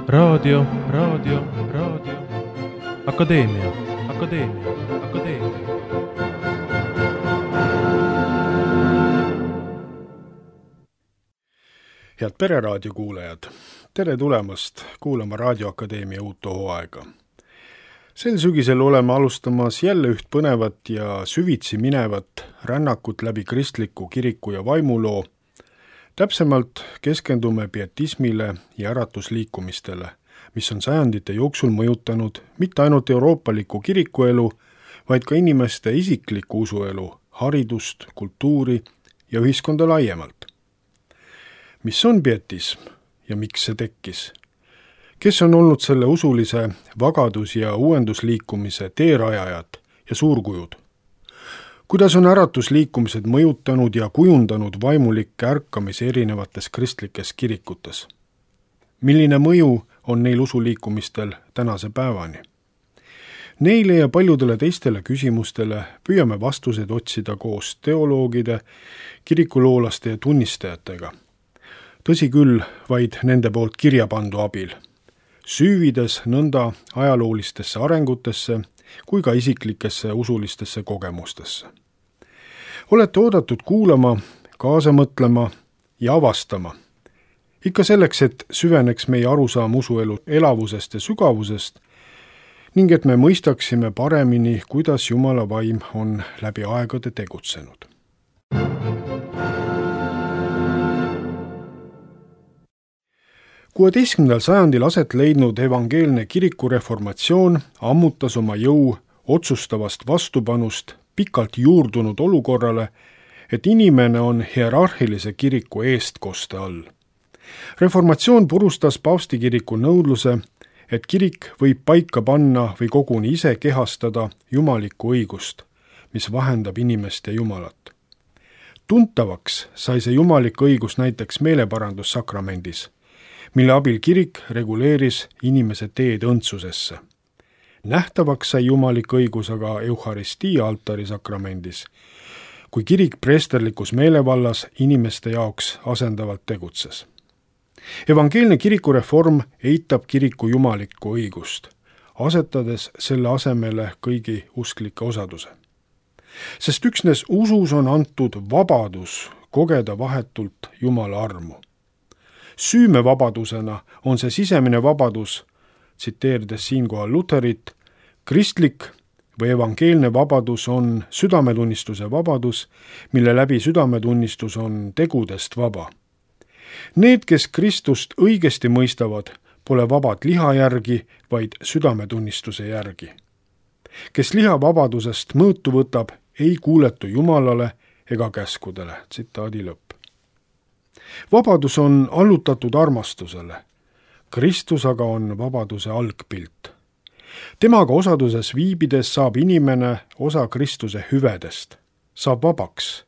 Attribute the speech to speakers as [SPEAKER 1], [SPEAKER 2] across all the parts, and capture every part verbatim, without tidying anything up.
[SPEAKER 1] raadio, raadio, raadio, akadeemia, akadeemia, akadeemia.
[SPEAKER 2] Head Pereraadio kuulajad, tere tulemast kuulama Raadioakadeemia uut hooaega. Sel sügisel oleme alustamas jälle üht põnevat ja süvitsi minevat rännakut läbi kristliku kiriku ja vaimuloo. Täpsemalt keskendume pietismile ja äratusliikumistele, mis on sajandite jooksul mõjutanud mitte ainult euroopaliku kirikuelu, vaid ka inimeste isiklikku usuelu, haridust, kultuuri ja ühiskonda laiemalt. Mis on pietism ja miks see tekkis? Kes on olnud selle usulise vagadus- ja uuendusliikumise teerajajad ja suurkujud? Kuidas on äratusliikumised mõjutanud ja kujundanud vaimulikke ärkamisi erinevates kristlikes kirikutes? Milline mõju on neil usuliikumistel tänase päevani? Neile ja paljudele teistele küsimustele püüame vastuseid otsida koos teoloogide, kirikuloolaste ja tunnistajatega. Tõsi küll, vaid nende poolt kirja pandu abil, süüvides nõnda ajaloolistesse arengutesse kui ka isiklikesse usulistesse kogemustesse. Olete oodatud kuulama, kaasa mõtlema ja avastama. Ikka selleks, et süveneks meie arusaam usuelu elavusest ja sügavusest ning et me mõistaksime paremini, kuidas Jumala vaim on läbi aegade tegutsenud. kuueteistkümnendal sajandil aset leidnud evangeelne kirikureformatsioon ammutas oma jõu otsustavast vastupanust pikalt juurdunud olukorrale, et inimene on hierarhilise kiriku eestkoste all. Reformatsioon purustas paavstikiriku nõudluse, et kirik võib paika panna või koguni ise kehastada jumalikku õigust, mis vahendab inimest ja Jumalat. Tuntavaks sai see jumalik õigus näiteks meeleparandussakramendis, mille abil kirik reguleeris inimese teed õndsusesse. Nähtavaks sai jumalik õigus aga euharistia altari sakramendis, kui kirik preesterlikus meelevallas inimeste jaoks asendavalt tegutses. Evangeelne kirikureform eitab kiriku jumalikku õigust, asetades selle asemele kõigi usklike osaduse. Sest üksnes usus on antud vabadus kogeda vahetult Jumala armu. Süümevabadusena on see sisemine vabadus, tsiteerides siinkohal Luterit, kristlik või evangeelne vabadus on südametunnistuse vabadus, mille läbi südametunnistus on tegudest vaba. Need, kes Kristust õigesti mõistavad, pole vabad liha järgi, vaid südametunnistuse järgi. Kes liha vabadusest mõõtu võtab, ei kuuletu Jumalale ega käskudele. Tsitaadi lõpp. Vabadus on allutatud armastusele. Kristus aga on vabaduse algpilt. Temaga osaduses viibides saab inimene osa Kristuse hüvedest, saab vabaks,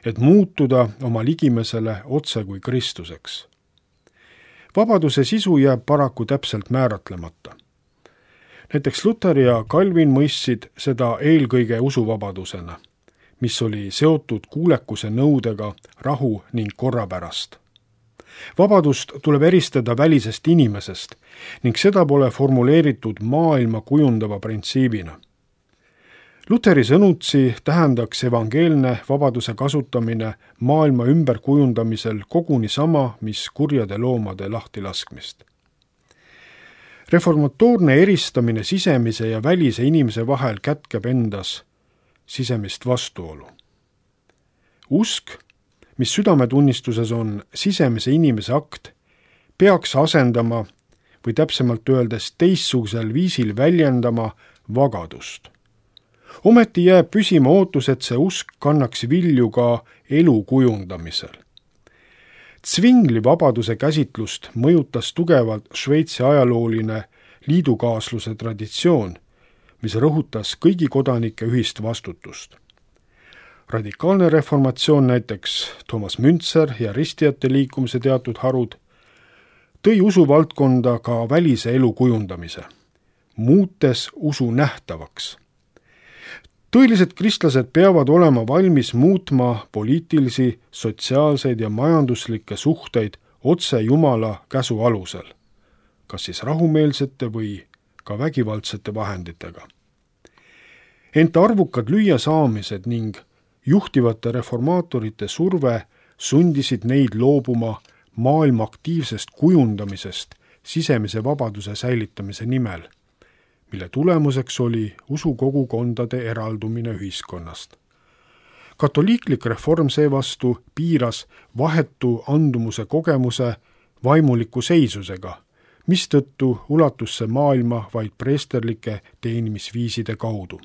[SPEAKER 2] et muutuda oma ligimesele otse kui Kristuseks. Vabaduse sisu jääb paraku täpselt määratlemata. Näiteks Luther ja Calvin mõistsid seda eelkõige usuvabadusena, mis oli seotud kuulekuse nõudega rahu ning korra pärast. Vabadust tuleb eristada välisest inimesest ning seda pole formuleeritud maailma kujundava printsiibina. Lutheri sõnutsi tähendaks evangeelne vabaduse kasutamine maailma ümberkujundamisel koguni sama, mis kurjade loomade lahtilaskmist. Reformatoorne eristamine sisemise ja välise inimese vahel kätkeb endas sisemist vastuolu. Usk, mis südametunnistuses on sisemise inimese akt, peaks asendama või täpsemalt öeldes teistsugusel viisil väljendama vagadust. Ometi jääb püsima ootus, et see usk kannaks vilju ka elu kujundamisel. Zwingli vabaduse käsitlust mõjutas tugevalt Šveitsi ajalooline liidukaasluse traditsioon, mis rõhutas kõigi kodanike ühist vastutust. Radikaalne reformatsioon, näiteks Thomas Müntzer ja ristijate liikumise teatud harud, tõi usuvaldkonda ka välise elu kujundamise, muutes usu nähtavaks. Tõelised kristlased peavad olema valmis muutma poliitilisi, sotsiaalseid ja majanduslikke suhteid otse Jumala käsu alusel. kas siis rahumeelsete või ka vägivaldsete vahenditega. Ent arvukad lüüasaamised ning juhtivate reformaatorite surve sundisid neid loobuma maailma aktiivsest kujundamisest sisemise vabaduse säilitamise nimel, mille tulemuseks oli usukogukondade eraldumine ühiskonnast. Katoliiklik reform seevastu piiras vahetu andumuse kogemuse vaimuliku seisusega, mistõttu ulatus see maailma vaid preesterlike teenimisviiside kaudu.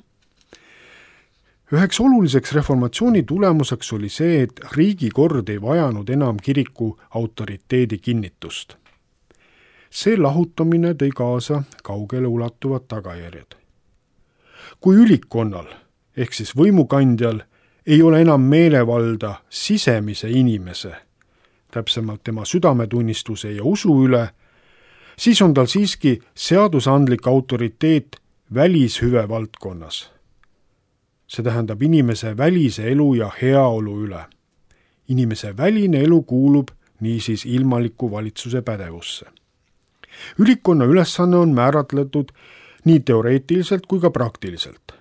[SPEAKER 2] Üheks oluliseks reformatsiooni tulemuseks oli see, et riigikord ei vajanud enam kiriku autoriteedi kinnitust. See lahutamine tõi kaasa kaugele ulatuvad tagajärjed. Kui ülikkonnal ehk siis võimukandjal ei ole enam meelevalda sisemise inimese, täpsemalt tema südametunnistuse ja usu üle, siis on tal siiski seadusandlik autoriteet välishüve valdkonnas. See tähendab inimese välise elu ja heaolu üle. Inimese väline elu kuulub niisiis ilmaliku valitsuse pädevusse. Ülikonna ülesanne on määratletud nii teoreetiliselt kui ka praktiliselt.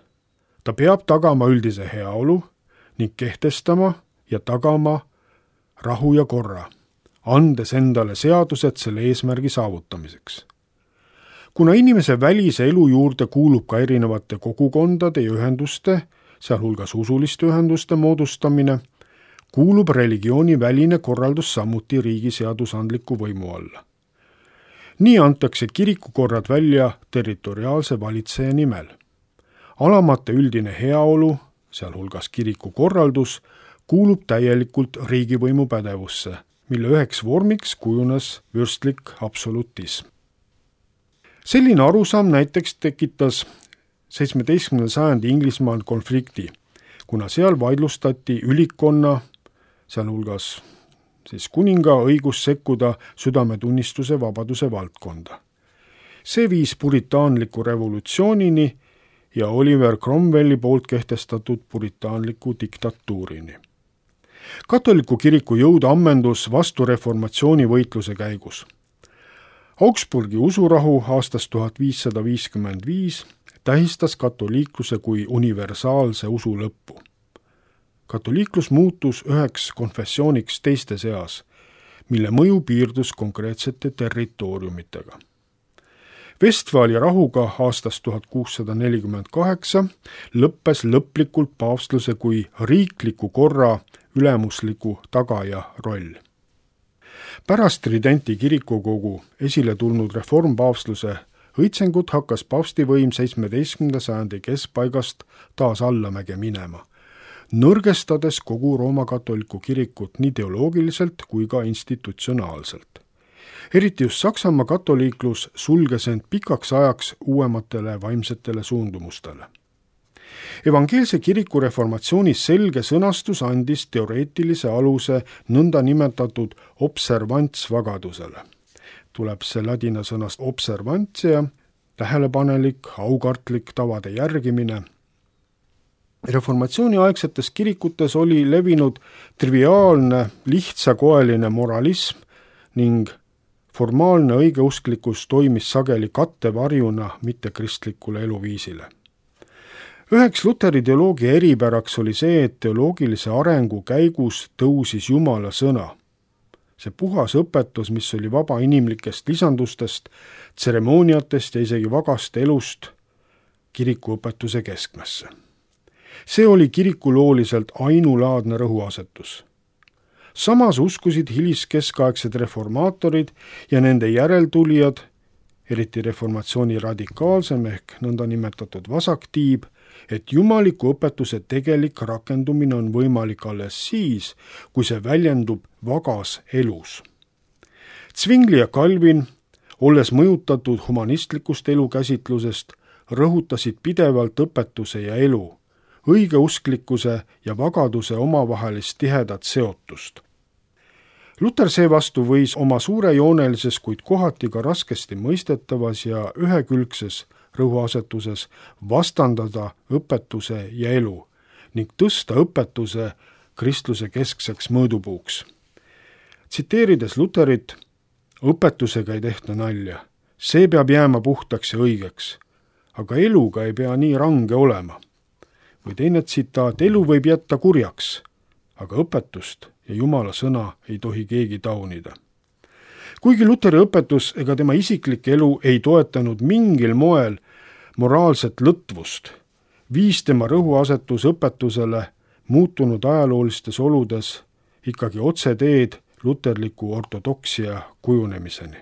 [SPEAKER 2] Ta peab tagama üldise heaolu ning kehtestama ja tagama rahu ja korra, andes endale seadused selle eesmärgi saavutamiseks. Kuna inimese välise elu juurde kuulub ka erinevate kogukondade ja ühenduste, sealhulgas usuliste ühenduste moodustamine, kuulub religiooni väline korraldus samuti riigi seadusandliku võimu alla. Nii antakse kirikukorrad välja territoriaalse valitseja nimel. Alamate üldine heaolu, sealhulgas kirikukorraldus, kuulub täielikult riigivõimu pädevusse, mille üheks vormiks kujunes vürstlik absolutism. Selline arusaam näiteks tekitas seitsmeteistkümnenda sajandi Inglismaal konflikti, kuna seal vaidlustati ülikkonna, sealhulgas siis kuninga õigus sekkuda südametunnistuse vabaduse valdkonda. See viis puritaanliku revolutsioonini ja Oliver Cromwelli poolt kehtestatud puritaanliku diktatuurini. Katoliku kiriku jõud ammendus vastureformatsiooni võitluse käigus. Augsburgi usurahu aastast tuhat viissada viiskümmend viis tähistas katoliikluse kui universaalse usu lõppu. Katoliiklus muutus üheks konfessiooniks teiste seas, mille mõju piirdus konkreetsete territooriumitega. Vestfaalia rahuga aastast tuhat kuussada nelikümmend kaheksa lõppes lõplikult paavstluse kui riikliku korra ülemusliku tagaja roll. Pärast Tridenti kirikukogu esile tulnud reformpaavstluse õitsengut hakkas paavstivõim seitsmeteistkümnenda sajandi keskpaigast taas allamäge minema, nõrgestades kogu Rooma katoliku kirikut nii teoloogiliselt kui ka institutsionaalselt. Eriti just Saksamaa katoliiklus sulges end pikaks ajaks uuematele vaimsetele suundumustele. Evangeelse kiriku reformatsiooni selge sõnastus andis teoreetilise aluse nõnda nimetatud observantsvagadusele. Tuleb see ladina sõnast observantsia, tähelepanelik, aukartlik tavade järgimine. Reformatsiooni aegsetes kirikutes oli levinud triviaalne, lihtsakoeline moralism ning formaalne õigeusklikkus toimis sageli kattevarjuna mittekristlikule eluviisile. Üheks Luteri teoloogia eripäraks oli see, et teoloogilise arengu käigus tõusis Jumala sõna. See puhas õpetus, mis oli vaba inimlikest lisandustest, tseremooniatest ja isegi vagast elust kirikuõpetuse keskmesse. See oli kirikulooliselt ainulaadne rõhuasetus. Samas uskusid hiliskeskaegsed reformaatorid ja nende järeltulijad, eriti reformatsiooni radikaalsem ehk nõnda nimetatud vasaktiib, et jumaliku õpetuse tegelik rakendumine on võimalik alles siis, kui see väljendub vagas elus. Zwingli ja Calvin, olles mõjutatud humanistlikust elukäsitlusest, rõhutasid pidevalt õpetuse ja elu, õigeusklikkuse ja vagaduse omavahelist tihedat seotust. Luter seevastu võis oma suurejoonelises, kuid kohati ka raskesti mõistetavas ja ühekülgses rõhuasetuses vastandada õpetuse ja elu ning tõsta õpetuse kristluse keskseks mõõdupuuks. Tsiteerides Luterit, õpetusega ei tehta nalja, see peab jääma puhtaks ja õigeks, aga eluga ei pea nii range olema. Või teine tsitaat, elu võib jätta kurjaks, aga õpetust ja Jumala sõna ei tohi keegi taunida. Kuigi Luteri õpetus ega tema isiklik elu ei toetanud mingil moel moraalset lõtvust, viis tema rõhuasetus õpetusele muutunud ajaloolistes oludes ikkagi otseteed luterliku ortodoksia kujunemiseni.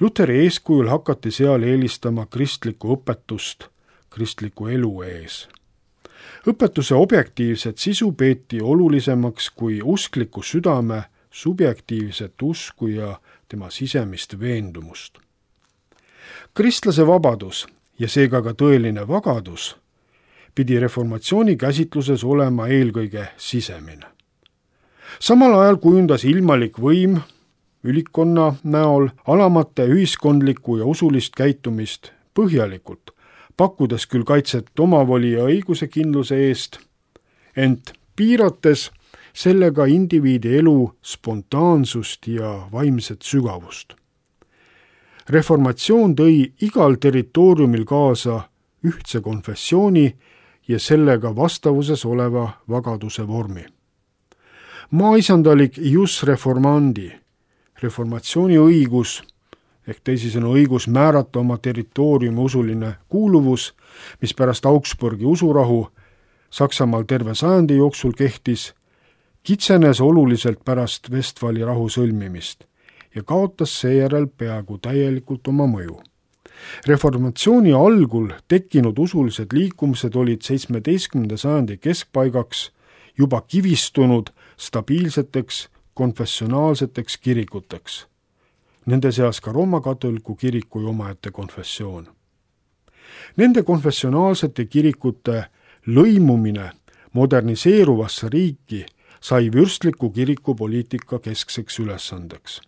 [SPEAKER 2] Luteri eeskujul hakati seal eelistama kristlikku õpetust kristliku elu ees. Õpetuse objektiivset sisu peeti olulisemaks kui uskliku südame subjektiivset usku ja tema sisemist veendumust. Kristlase vabadus ja seega ka tõeline vagadus pidi reformatsiooni käsitluses olema eelkõige sisemine. Samal ajal kujundas ilmalik võim ülikonna näol alamate ühiskondlikku ja usulist käitumist põhjalikult, pakkudes küll kaitset omavoli ja õiguse kindluse eest, ent piirates sellega indiviidi elu spontaansust ja vaimset sügavust. Reformatsioon tõi igal territooriumil kaasa ühtse konfessiooni ja sellega vastavuses oleva vagaduse vormi. Maaisandalik jus reformandi, reformatsiooni õigus, ehk teisisõnu õigus määrata oma territooriumi usuline kuuluvus, mis pärast Augsburgi usurahu Saksamaal terve sajandi jooksul kehtis, kitsenes oluliselt pärast Vestfali rahu sõlmimist ja kaotas seejärel peaaegu täielikult oma mõju. Reformatsiooni algul tekkinud usulised liikumised olid seitsmeteistkümnenda sajandi keskpaigaks juba kivistunud stabiilseteks konfessionaalseteks kirikuteks. Nende seas ka Rooma katoliku kiriku omaette konfessioon. Nende konfessionaalsete kirikute lõimumine moderniseeruvasse riiki sai vürstliku kiriku poliitika keskseks ülesandeks.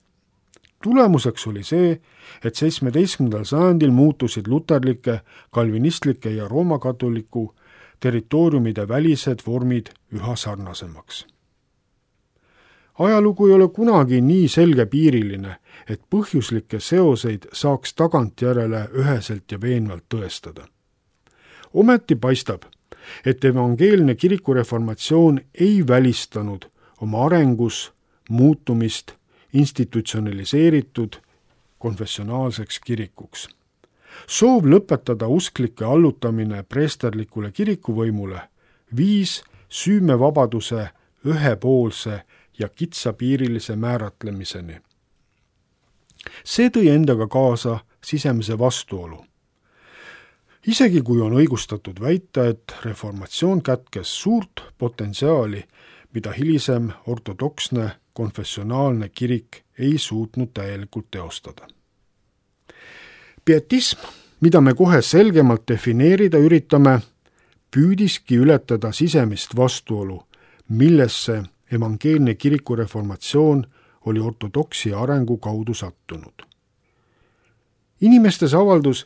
[SPEAKER 2] Tulemuseks oli see, et seitsmeteistkümnendal sajandil muutusid luterlike, kalvinistlike ja Rooma katoliku territooriumide välised vormid üha sarnasemaks. Ajalugu ei ole kunagi nii selgepiiriline, et põhjuslikke seoseid saaks tagantjärele üheselt ja veenvalt tõestada. Ometi paistab, et evangeelne kirikureformatsioon ei välistanud oma arengus muutumist institutsionaliseeritud konfessionaalseks kirikuks. Soov lõpetada usklike allutamine preesterlikule kirikuvõimule viis süümevabaduse ühepoolse ja kitsapiirilise määratlemiseni. See tõi endaga kaasa sisemise vastuolu. Isegi kui on õigustatud väita, et reformatsioon kätkes suurt potentsiaali, mida hilisem ortodoksne konfessionaalne kirik ei suutnud täielikult teostada. Pietism, mida me kohe selgemalt defineerida üritame, püüdiski ületada sisemist vastuolu, millesse evangeelne kirikureformatsioon oli ortodoksia arengu kaudu sattunud. Inimestes avaldus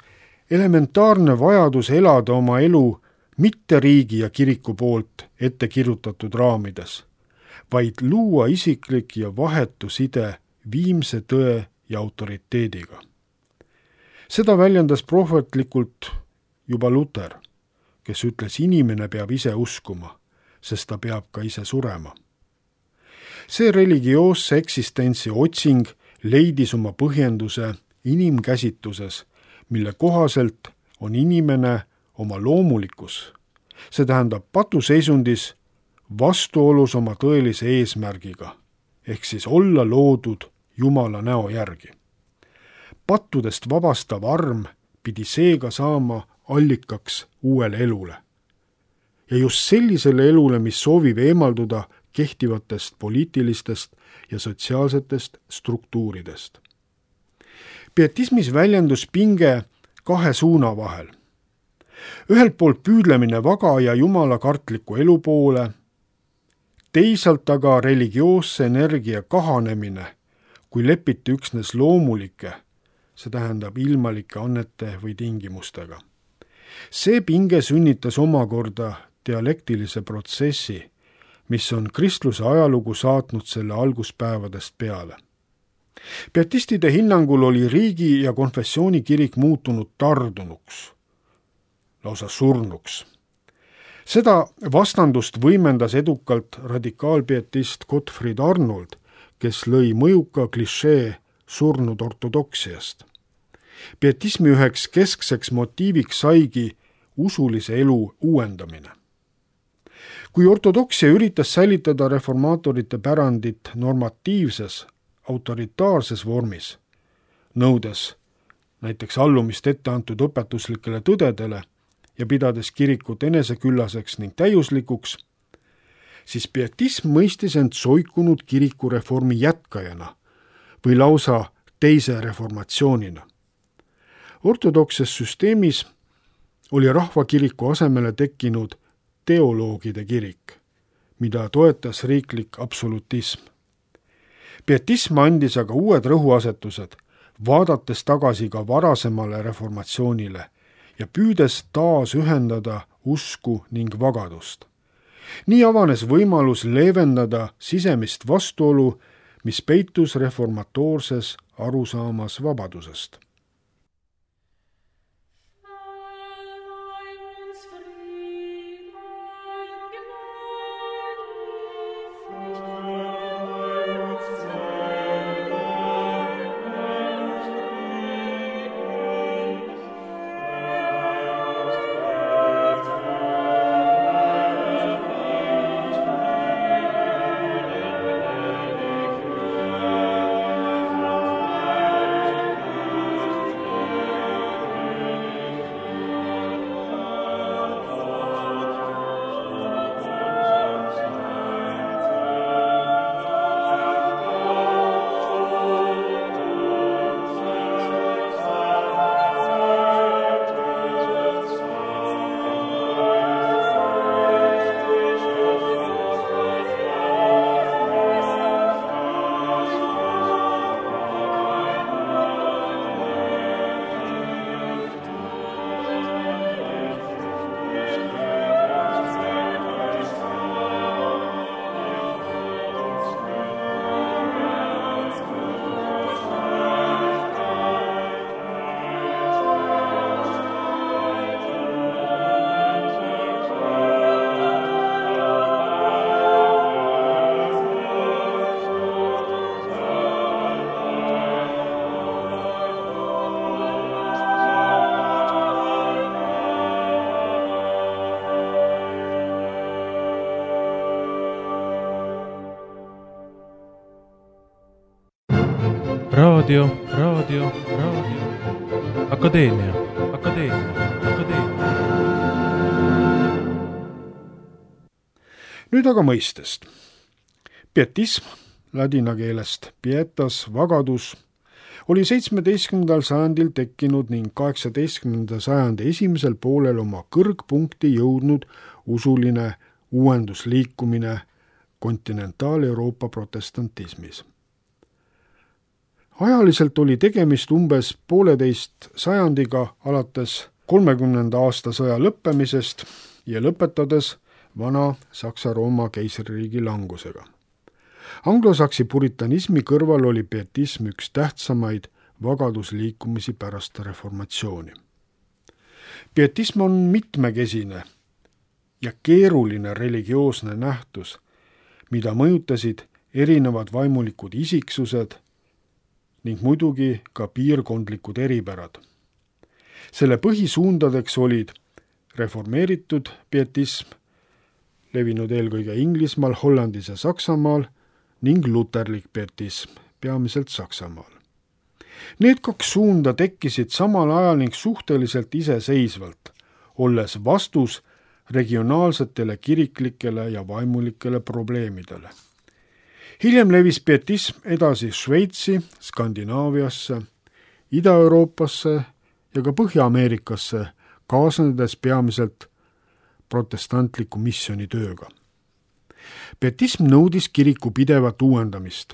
[SPEAKER 2] elementaarne vajadus elada oma elu mitte riigi ja kiriku poolt ette kirjutatud raamides, vaid luua isiklik ja vahetu side viimse tõe ja autoriteediga. Seda väljendas prohvetlikult juba Luter, kes ütles, inimene peab ise uskuma, sest ta peab ka ise surema. See religioosse eksistentsi otsing leidis oma põhjenduse inimkäsituses, mille kohaselt on inimene oma loomulikus, see tähendab patuseisundis, vastuolus oma tõelise eesmärgiga, ehk siis olla loodud Jumala näo järgi. Pattudest vabastav arm pidi seega saama allikaks uuele elule. Ja just sellisele elule, mis soovib eemalduda kehtivatest poliitilistest ja sotsiaalsetest struktuuridest. Pietismis väljendus pinge kahe suuna vahel. Ühelt poolt püüdlemine vaga ja jumalakartliku elu poole, teisalt aga religioosse energia kahanemine, kui lepiti üksnes loomulike, see tähendab ilmalike annete või tingimustega. See pinge sünnitas omakorda dialektilise protsessi, mis on kristluse ajalugu saatnud selle alguspäevadest peale. Pietistide hinnangul oli riigi- ja konfessioonikirik muutunud tardunuks, lausa surnuks. Seda vastandust võimendas edukalt radikaalpietist Gottfried Arnold, kes lõi mõjuka klišee surnud ortodoksiast. Pietismi üheks keskseks motiiviks saigi usulise elu uuendamine. Kui ortodoksia üritas säilitada reformaatorite pärandit normatiivses, autoritaarses vormis, nõudes näiteks allumist ette antud õpetuslikele tõdedele ja pidades kirikut eneseküllaseks ning täiuslikuks, siis pietism mõistis end soikunud kirikureformi jätkajana või lausa teise reformatsioonina. Ortodokses süsteemis oli rahvakiriku asemele tekkinud teoloogide kirik, mida toetas riiklik absolutism. Pietism andis aga uued rõhuasetused, vaadates tagasi ka varasemale reformatsioonile ja püüdes taas ühendada usku ning vagadust. Nii avanes võimalus leevendada sisemist vastuolu, mis peitus reformatoorses arusaamas vabadusest.
[SPEAKER 1] raadio, raadio, raadio, akadeemia, akadeemia, akadeemia.
[SPEAKER 2] Nüüd aga mõistest. Pietism, ladina keelest pietas, vagadus, oli seitsmeteistkümnendal sajandil tekkinud ning kaheksateistkümnenda sajandi esimesel poolel oma kõrgpunkti jõudnud usuline uuendusliikumine kontinentaal-Euroopa protestantismis. Ajaliselt oli tegemist umbes pooleteist sajandiga alates kolmekümnenda aasta sõja lõppemisest ja lõpetades vana Saksa-Rooma keisririigi langusega. Anglosaksi puritanismi kõrval oli pietism üks tähtsamaid vagadusliikumisi pärast reformatsiooni. Pietism on mitmekesine ja keeruline religioosne nähtus, mida mõjutasid erinevad vaimulikud isiksused ning muidugi ka piirkondlikud eripärad. Selle põhisuundadeks olid reformeeritud pietism, levinud eelkõige Inglismaal, Hollandis ja Saksamaal, ning luterlik pietism, peamiselt Saksamaal. Need kaks suunda tekkisid samal ajal ning suhteliselt iseseisvalt, olles vastus regionaalsetele kiriklikele ja vaimulikele probleemidele. Hiljem levis pietism edasi Šveitsi, Skandinaaviasse, Ida-Euroopasse ja ka Põhja-Ameerikasse, kaasnedes peamiselt protestantliku missioonitööga. Pietism nõudis kiriku pidevat uuendamist,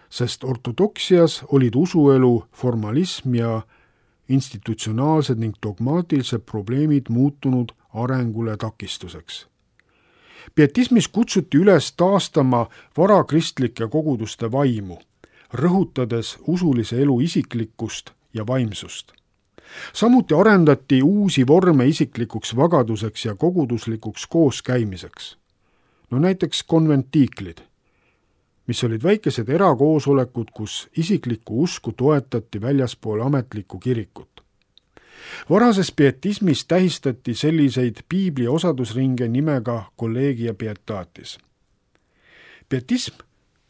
[SPEAKER 2] sest ortodoksias olid usuelu formalism ja institutsionaalsed ning dogmaatilised probleemid muutunud arengule takistuseks. Pietismis kutsuti üles taastama varakristlike koguduste vaimu, rõhutades usulise elu isiklikkust ja vaimsust. Samuti arendati uusi vorme isiklikuks vagaduseks ja koguduslikuks kooskäimiseks. No näiteks konventiiklid, mis olid väikesed erakoosolekud, kus isiklikku usku toetati väljaspool ametlikku kirikut. Varases pietismis tähistati selliseid piibli osadusringe nimega collegia pietatis. Pietism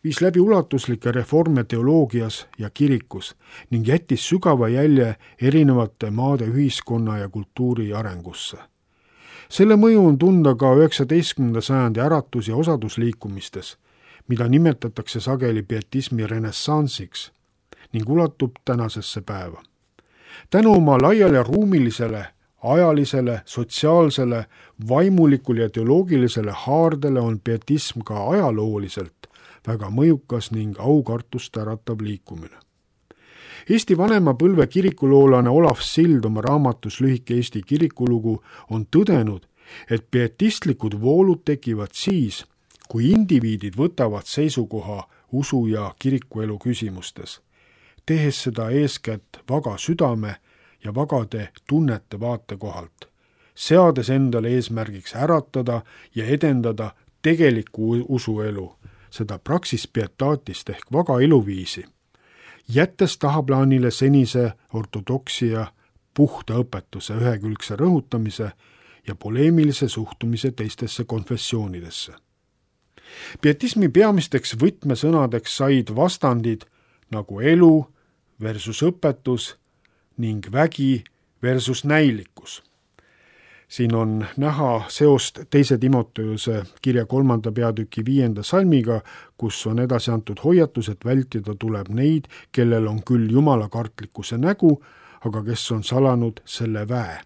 [SPEAKER 2] viis läbi ulatuslikke reforme teoloogias ja kirikus ning jättis sügava jälje erinevate maade ühiskonna ja kultuuri arengusse. Selle mõju on tunda ka üheksateistkümnenda sajandi äratus- ja osadusliikumistes, mida nimetatakse sageli pietismi renessansiks ning ulatub tänasesse päeva. Tänu oma laiale ruumilisele, ajalisele, sotsiaalsele, vaimulikule ja teoloogilisele haardele on pietism ka ajalooliselt väga mõjukas ning aukartust äratav liikumine. Eesti vanema põlve kirikuloolane Olav Sild oma raamatus Lühike Eesti kirikulugu on tõdenud, et pietistlikud voolud tekivad siis, kui indiviidid võtavad seisukoha usu ja kirikuelu küsimustes, tehes seda eeskätt vaga südame ja vagade tunnete vaatekohalt, seades endale eesmärgiks äratada ja edendada tegelikku usuelu, seda praxis pietatist ehk vaga eluviisi, jättes tahaplaanile senise ortodoksia puhta õpetuse ühekülgse rõhutamise ja poleemilise suhtumise teistesse konfessioonidesse. Pietismi peamisteks võtmesõnadeks said vastandid nagu elu versus õpetus ning vägi versus näilikkus. Siin on näha seost teise Timoteuse kirja kolmanda peatüki viienda salmiga, kus on edasi antud hoiatus, et vältida tuleb neid, kellel on küll jumalakartlikkuse nägu, aga kes on salanud selle väe.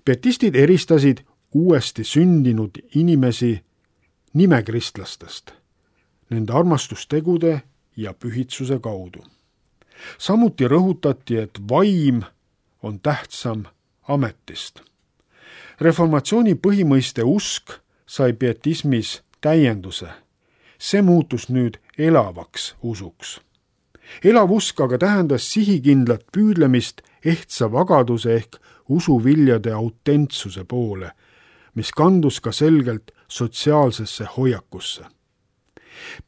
[SPEAKER 2] Pietistid eristasid uuesti sündinud inimesi nimekristlastest, nende armastustegude ja pühitsuse kaudu. Samuti rõhutati, et vaim on tähtsam ametist. Reformatsiooni põhimõiste usk sai pietismis täienduse. See muutus nüüd elavaks usuks. Elav usk aga tähendas sihikindlat püüdlemist ehtsa vagaduse ehk usuviljade autentsuse poole, mis kandus ka selgelt sotsiaalsesse hoiakusse.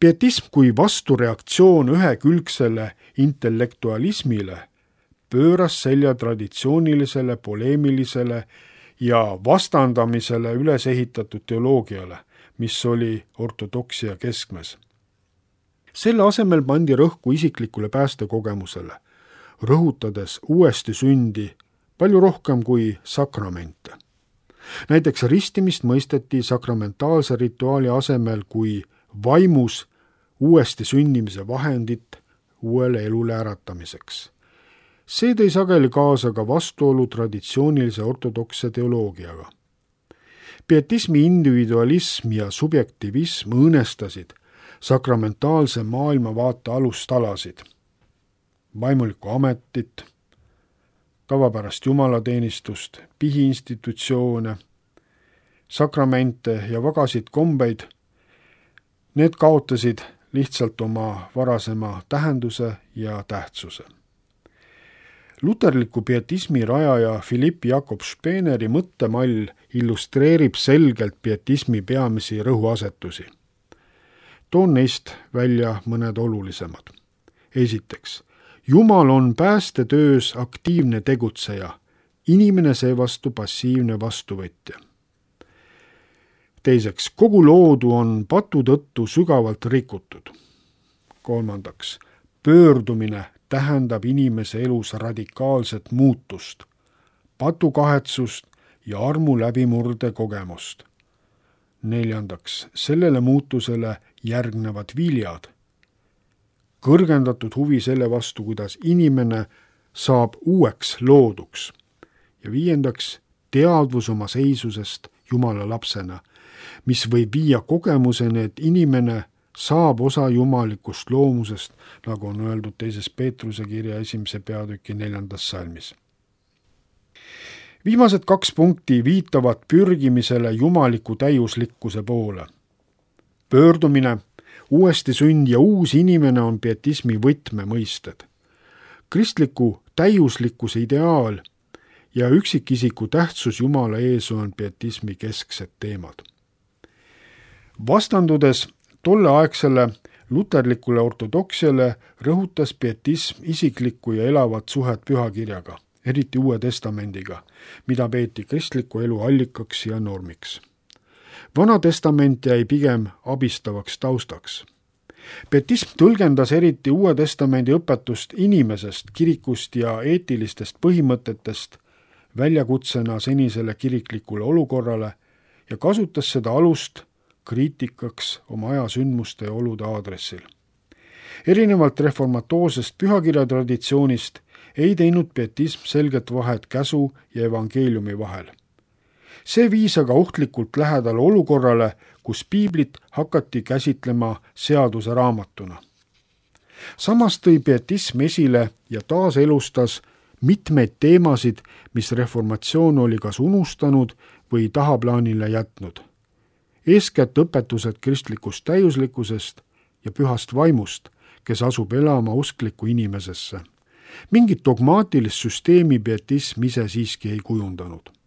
[SPEAKER 2] Pietism kui vastureaktsioon ühekülgsele intellektualismile pööras selja traditsioonilisele, poleemilisele ja vastandamisele üles ehitatud teoloogiale, mis oli ortodoksia keskmes. Selle asemel pandi rõhku isiklikule päästekogemusele, rõhutades uuesti sündi palju rohkem kui sakramente. Näiteks ristimist mõisteti sakramentaalse rituaali asemel kui vaimus uuesti sünnimise vahendit uuele elule äratamiseks. See tõi sageli kaasa ka vastuolu traditsioonilise ortodokse teoloogiaga. Pietismi individualism ja subjektivism õõnestasid sakramentaalse maailmavaate alustalasid, vaimulikku ametit, tavapärast jumalateenistust, pihiinstitutsioone, sakramente ja vagasid kombeid. Need kaotasid lihtsalt oma varasema tähenduse ja tähtsuse. Luterliku pietismi rajaja Philipp Jakob Speeneri mõttemall illustreerib selgelt pietismi peamisi rõhuasetusi. Toon neist välja mõned olulisemad. Esiteks, Jumal on päästetöös aktiivne tegutseja, inimene seevastu passiivne vastuvõtja. Teiseks, kogu loodu on patu tõttu sügavalt rikutud. Kolmandaks, pöördumine tähendab inimese elus radikaalset muutust, patukahetsust ja armu läbimurde kogemust. Neljandaks, sellele muutusele järgnevad viljad, kõrgendatud huvi selle vastu, kuidas inimene saab uueks looduks. Ja viiendaks, teadvus oma seisusest Jumala lapsena, mis võib viia kogemuseni, et inimene saab osa jumalikust loomusest, nagu on öeldud teises Peetruse kirja esimese peatüki neljandas salmis. Viimased kaks punkti viitavad pürgimisele jumaliku täiuslikkuse poole. Pöördumine uuesti sünd ja uus inimene on pietismi võtmemõisted. Kristliku täiuslikkuse ideaal ja üksikisiku tähtsus Jumala ees on pietismi kesksed teemad. Vastandudes tolleaegsele luterlikule ortodoksiale rõhutas pietism isiklikku ja elavat suhet pühakirjaga, eriti Uue Testamendiga, mida peeti kristliku elu allikaks ja normiks. Vana testament jäi pigem abistavaks taustaks. Pietism tõlgendas eriti Uue Testamendi õpetust inimesest, kirikust ja eetilistest põhimõtetest väljakutsena senisele kiriklikule olukorrale ja kasutas seda alust kriitikaks oma aja sündmuste ja olude aadressil. Erinevalt reformatoorsest pühakirjatraditsioonist ei teinud pietism selget vahet käsu ja evangeeliumi vahel. See viis aga ohtlikult lähedale olukorrale, kus piiblit hakati käsitlema seaduse raamatuna. Samas tõi pietism esile ja taaselustas mitmeid teemasid, mis reformatsioon oli kas unustanud või tahaplaanile jätnud. Eeskätt õpetused kristlikust täiuslikkusest ja pühast vaimust, kes asub elama uskliku inimesesse. Mingit dogmaatilist süsteemi pietism ise siiski ei kujundanud.
[SPEAKER 3] Amen.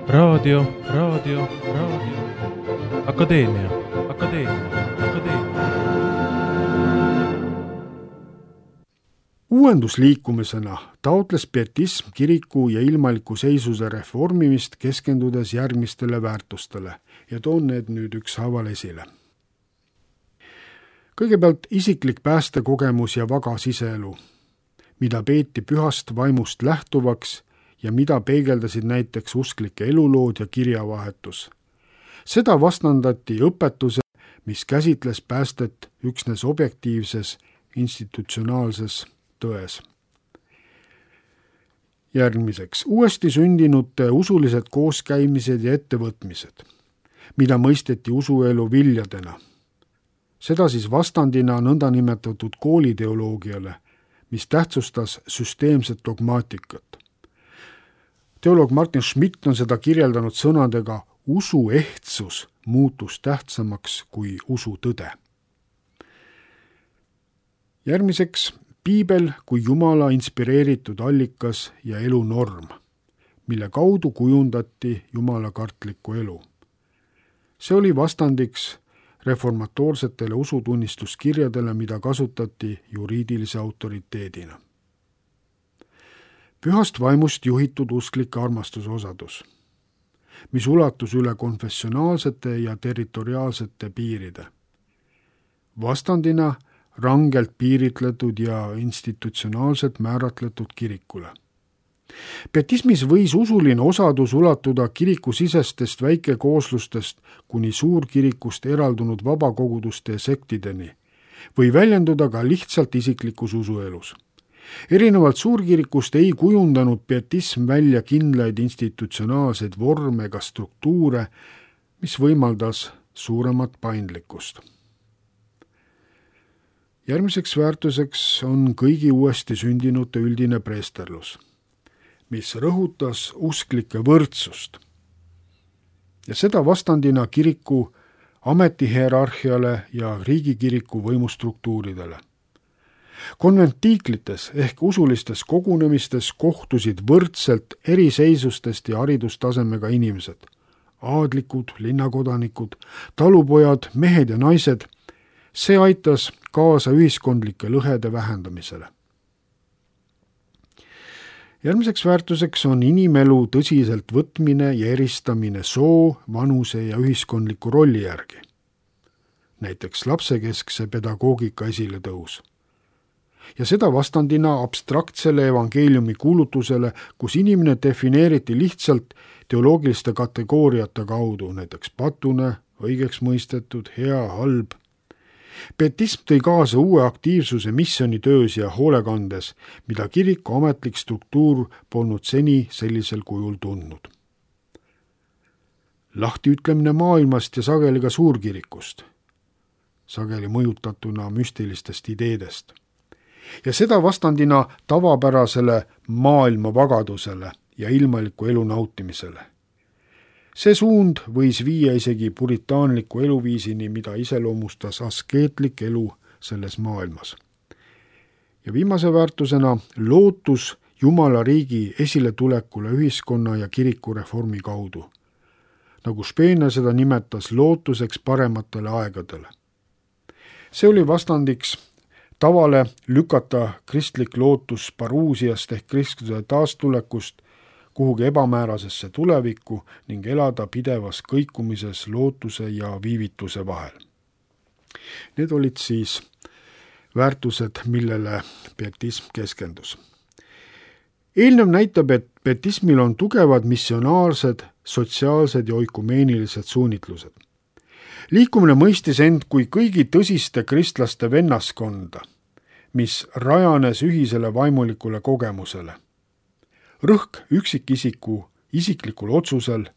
[SPEAKER 1] raadio, raadio, raadio, Akadeemia, Akadeemia, Akadeemia.
[SPEAKER 2] Uuendusliikumisena taotles pietism kiriku ja ilmaliku seisuse reformimist, keskendudes järgmistele väärtustele ja toon need nüüd ükshaaval esile. Kõigepealt isiklik päästekogemus ja vaga siseelu, mida peeti pühast vaimust lähtuvaks ja mida peegeldasid näiteks usklike elulood ja kirjavahetus. Seda vastandati õpetuse, mis käsitles päästet üksnes objektiivses institutsionaalses tões. Järgmiseks, uuesti sündinute usulised kooskäimised ja ettevõtmised, mida mõisteti usuelu viljadena. Seda siis vastandina nõndanimetatud kooliteoloogiale, mis tähtsustas süsteemset dogmaatikat. Teoloog Martin Schmidt on seda kirjeldanud sõnadega usu ehtsus muutus tähtsamaks kui usu tõde. Järgmiseks, Piibel kui Jumala inspireeritud allikas ja elunorm, mille kaudu kujundati jumalakartlikku elu. See oli vastandiks reformatoorsetele usutunnistuskirjadele, mida kasutati juriidilise autoriteedina. Pühast vaimust juhitud usklike armastusosadus, mis ulatus üle konfessionaalsete ja territoriaalsete piiride. Vastandina rangelt piiritletud ja institutsionaalselt määratletud kirikule. Pietismis võis usuline osadus ulatuda kirikusisestest väikekooslustest kuni suurkirikust eraldunud vabakoguduste ja sektideni või väljenduda ka lihtsalt isiklikus usuelus. Erinevalt suurkirikust ei kujundanud pietism välja kindlaid institutsionaalseid vorme ega struktuure, mis võimaldas suuremat paindlikkust. Järgmiseks väärtuseks on kõigi uuesti sündinute üldine preesterlus, mis rõhutas usklike võrdsust ja seda vastandina kiriku ametihierarhiale ja riigikiriku võimustruktuuridele. Konventiiklites ehk usulistes kogunemistes kohtusid võrdselt eriseisustest ja haridustasemega inimesed, aadlikud, linnakodanikud, talupojad, mehed ja naised. See aitas kaasa ühiskondlike lõhede vähendamisele. Järgmiseks väärtuseks on inimelu tõsiselt võtmine ja eristamine soo, vanuse ja ühiskondliku rolli järgi. Näiteks lapsekeskse pedagoogika esiletõus. Ja seda vastandina abstraktsele evangeeliumi kuulutusele, kus inimene defineeriti lihtsalt teoloogiliste kategooriate kaudu, näiteks patune, õigeks mõistetud, hea, halb. Pietism tõi kaasa uue aktiivsuse missionitöös ja hoolekandes, mida kiriku ametlik struktuur polnud seni sellisel kujul tundnud. Lahtiütlemine maailmast ja sageli ka suurkirikust, sageli mõjutatuna müstilistest ideedest. Ja seda vastandina tavapärasele maailma vagadusele ja ilmaliku elu nautimisele. See suund võis viia isegi puritaanliku eluviisini, mida iseloomustas askeetlik elu selles maailmas. Ja viimase väärtusena lootus Jumala riigi esiletulekule ühiskonna ja kiriku reformi kaudu, nagu Spener seda nimetas lootuseks parematele aegadele. See oli vastandiks tavale lükata kristlik lootus paruusiast ehk kristluse taastulekust kuhugi ebamäärasesse tulevikku ning elada pidevas kõikumises lootuse ja viivituse vahel. Need olid siis väärtused, millele pietism keskendus. Eelnev näitab, et pietismil on tugevad missionaarsed, sotsiaalsed ja oikumeenilised suunitlused. Liikumine mõistis end kui kõigi tõsiste kristlaste vennaskonda, mis rajanes ühisele vaimulikule kogemusele. Rõhk üksikisiku isiklikul otsusel,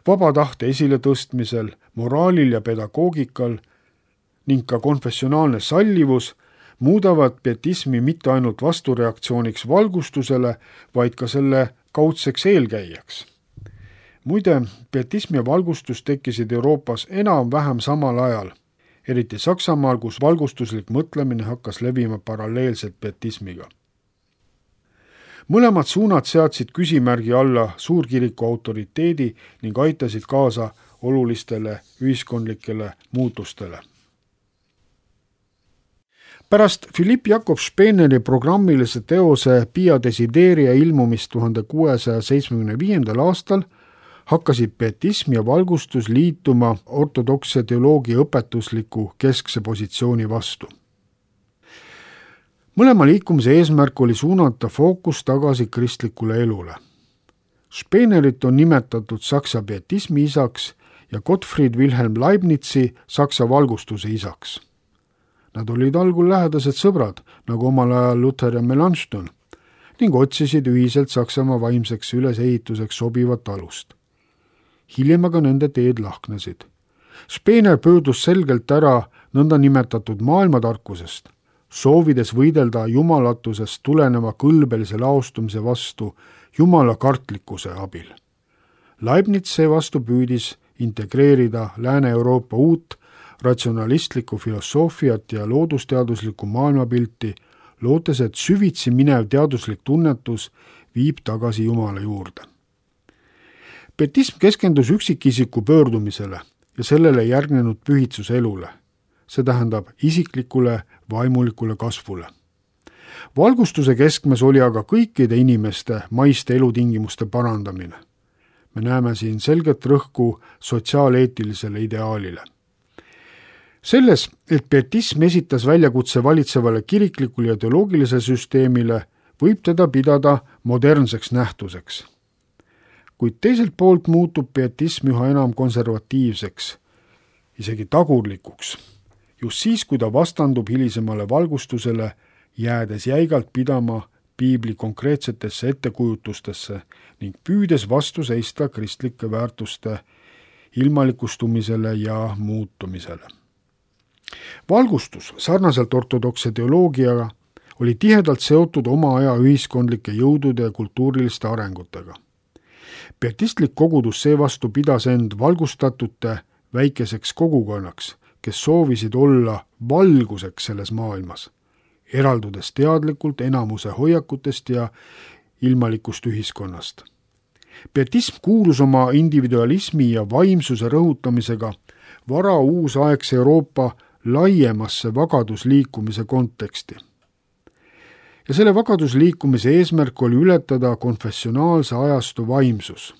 [SPEAKER 2] vaba tahte esiletõstmisel, moraalil ja pedagoogikal ning ka konfessionaalne sallivus muudavad pietismi mitte ainult vastureaktsiooniks valgustusele, vaid ka selle kaudseks eelkäijaks. Muide, pietism ja valgustus tekkisid Euroopas enam-vähem samal ajal, eriti Saksamaal, kus valgustuslik mõtlemine hakkas levima paralleelselt pietismiga. mõlemad suunad seadsid küsimärgi alla suurkiriku autoriteedi ning aitasid kaasa olulistele ühiskondlikele muutustele. Pärast Philipp Jakob Speneri programmilise teose Pia Desideria ilmumist tuhande kuuesaja seitsmekümne viiendal aastal hakkasid pietism ja valgustus liituma ortodoksse teoloogia õpetusliku keskse positsiooni vastu. Mõlema liikumise eesmärk oli suunata fookus tagasi kristlikule elule. Spenerit on nimetatud Saksa pietismi isaks ja Gottfried Wilhelm Leibnizi Saksa valgustuse isaks. Nad olid algul lähedased sõbrad, nagu omal ajal Luther ja Melanchthon, ning otsisid ühiselt Saksamaa vaimseks ülesehituseks sobivat alust. Hiljem aga nende teed lahknesid. Spener pöördus selgelt ära nõnda nimetatud maailmatarkusest, soovides võidelda jumalatusest tuleneva kõlbelise laostumise vastu jumala kartlikkuse abil. Leibniz seevastu püüdis integreerida Lääne-Euroopa uut ratsionalistlikku filosoofiat ja loodusteaduslikku maailmapilti, lootes, et süvitsi minev teaduslik tunnetus viib tagasi Jumala juurde. Pietism keskendus üksikisiku pöördumisele ja sellele järgnenud pühitsuselule, see tähendab isiklikule vaimulikule kasvule. Valgustuse keskmes oli aga kõikide inimeste maiste elutingimuste parandamine. Me näeme siin selget rõhku sotsiaaleetilisele ideaalile. Selles, et pietism esitas väljakutse valitsevale kiriklikule ja teoloogilisele süsteemile, võib teda pidada modernseks nähtuseks. Kuid teiselt poolt muutub pietism üha enam konservatiivseks, isegi tagurlikuks, just siis, kui ta vastandub hilisemale valgustusele, jäädes jäigalt pidama piibli konkreetsetesse ettekujutustesse ning püüdes vastu seista kristlike väärtuste ilmalikustumisele ja muutumisele. Valgustus, sarnaselt ortodokse teoloogiaga, oli tihedalt seotud oma aja ühiskondlike jõudude ja kultuuriliste arengutega. Pietistlik kogudus seevastu pidas end valgustatute väikeseks kogukonnaks, kes soovisid olla valguseks selles maailmas, eraldudes teadlikult enamuse hoiakutest ja ilmalikust ühiskonnast. Pietism kuulus oma individualismi ja vaimsuse rõhutamisega vara uusaegse Euroopa laiemasse vagadusliikumise konteksti. Ja selle vagadusliikumise eesmärk oli ületada konfessionaalse ajastu vaimsus.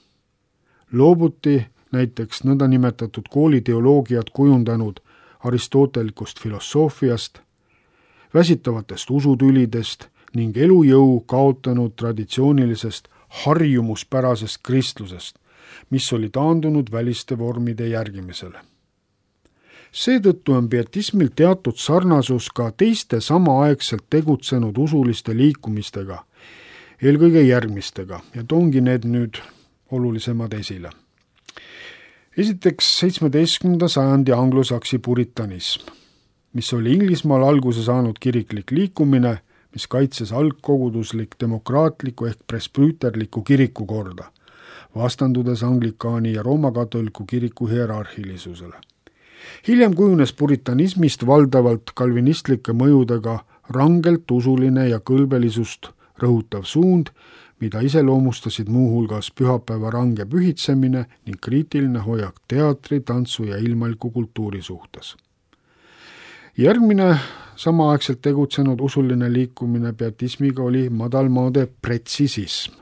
[SPEAKER 2] Loobuti näiteks nõndanimetatud kooliteoloogiat kujundanud aristotelikust filosoofiast, väsitavatest usutülidest ning elujõu kaotanud traditsioonilisest harjumuspärasest kristlusest, mis oli taandunud väliste vormide järgimisele. Seetõttu on pietismil teatud sarnasus ka teiste samaaegselt tegutsenud usuliste liikumistega, eelkõige järgmistega, ja toongi need nüüd olulisemad esile. Esiteks seitsmeteistkümnenda sajandi anglosaksi puritanism, mis oli Inglismaal alguse saanud kiriklik liikumine, mis kaitses algkoguduslik demokraatliku ehk presbüüterliku kirikukorda, vastandudes anglikaani ja roomakatoliku kiriku hierarhilisusele. Hiljem kujunes puritanismist valdavalt kalvinistlike mõjudega rangelt usuline ja kõlbelisust rõhutav suund, mida iseloomustasid muuhulgas pühapäeva range pühitsemine ning kriitiline hoiak teatri, tantsu ja ilmaliku kultuuri suhtes. Järgmine samaaegselt tegutsenud usuline liikumine pietismiga oli madalmaade pretsisism.